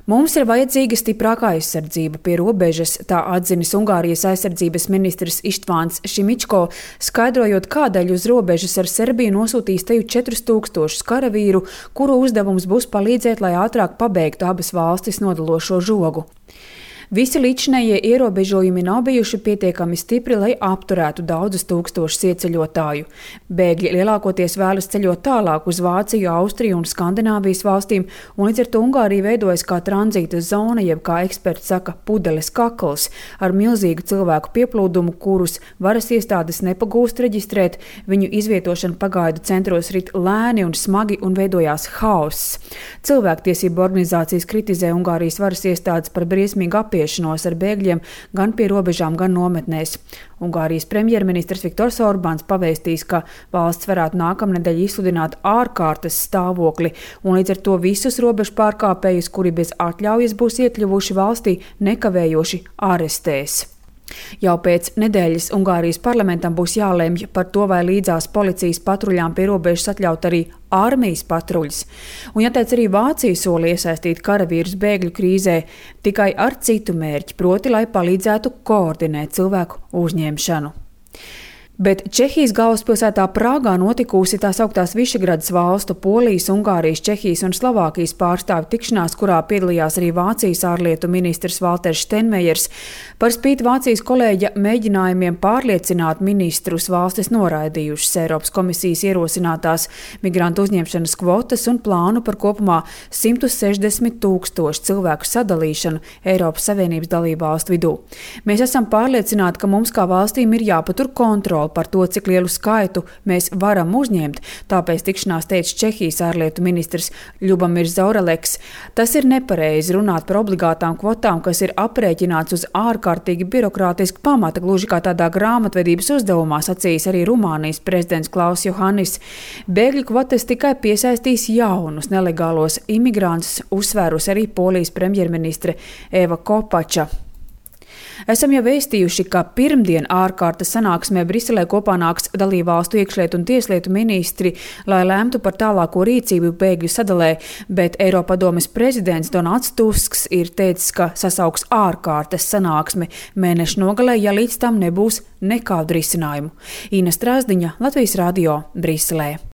Mums ir vajadzīga stiprākā aizsardzība pie robežas, tā atzinis Ungārijas aizsardzības ministrs Ištvāns Šimičko, skaidrojot, kādēļ uz robežas ar Serbiju nosūtīs teju 4000 karavīru, kuru uzdevums būs palīdzēt, lai ātrāk pabeigtu abas valstis nodalošo žogu. Visi līdzinējie ierobežojumi nav bijuši pietiekami stipri, lai apturētu daudzus tūkstošus ieceļotāju. Bēgļi lielākoties vēlas ceļot tālāk uz Vāciju, Austriju un Skandināvijas valstīm, un līdz ar to Ungārija veidojas kā tranzīta zona, jeb, kā eksperti saka, pudeles kakls, ar milzīgu cilvēku pieplūdumu, kurus varas iestādes nepagūst reģistrēt. Viņu izvietošana pagaidu centros rit lēni un smagi un veidojās haoss. Cilvēktiesību organizācijas kritizē Ungārijas varas iestādes par briesmīgu ar bēgļiem gan pie robežām, gan nometnēs. Ungārijas premjerministrs Viktors Orbāns pavēstīs, ka valsts varētu nākamnedēļ izsludināt ārkārtas stāvokli, un līdz ar to visus robežu pārkāpējus, kuri bez atļaujas būs iekļuvuši valstī, nekavējoši arestēs. Jau pēc nedēļas Ungārijas parlamentam būs jālemj par to, vai līdzās policijas patruļām pie robežas atļaut arī armijas patruļas. Un jāteic, arī Vācija soli iesaistīt karavīrus bēgļu krīzē tikai ar citu mērķi, proti, lai palīdzētu koordinēt cilvēku uzņemšanu. Bet Čehijas galvaspilsētā Prāgā notikusi tā sauktās Višegradas valstu, Polijas, Ungārijas, Čehijas un Slovākijas pārstāvju tikšanās, kurā piedalījās arī Vācijas ārlietu ministrs Valters Steinmeiers. Par spīti Vācijas kolēģa mēģinājumiem pārliecināt ministrus, valstis noraidījušas Eiropas komisijas ierosinātās migrantu uzņemšanas kvotas un plānu par kopumā 160 000 cilvēku sadalīšanu Eiropas Savienības dalību valstu vidū. Mēs esam pārliecināti, ka mums kā valstīm ir jāpatur kontrole par to, cik lielu skaitu mēs varam uzņemt, tāpēc tikšanās teica Čehijas ārlietu ministrs Ļubamirs Zaoraleks. Tas ir nepareizi runāt par obligātām kvotām, kas ir aprēķināts uz ārkārtīgi birokrātisku pamata, gluži kā tādā grāmatvedības uzdevumā, sacījis arī Rumānijas prezidents Klaus Johannis. Bēgļu kvotas tikai piesaistīs jaunus nelegālos imigrantus, uzsvērus arī Polijas premjerministre Eva Kopača. Esam jau vēstījuši, ka pirmdien ārkārtas sanāksmē Briselē kopā nāks dalībvalstu iekšlietu un tieslietu ministri, lai lemtu par tālāko rīcību bēgļu sadalē, bet Eiropadomes prezidents Donalds Tusks ir teicis, ka sasauks ārkārtas sanāksmi mēneša nogalē, ja līdz tam nebūs nekādu risinājumu. Ina Strāzdiņa, Latvijas radio, Briselē.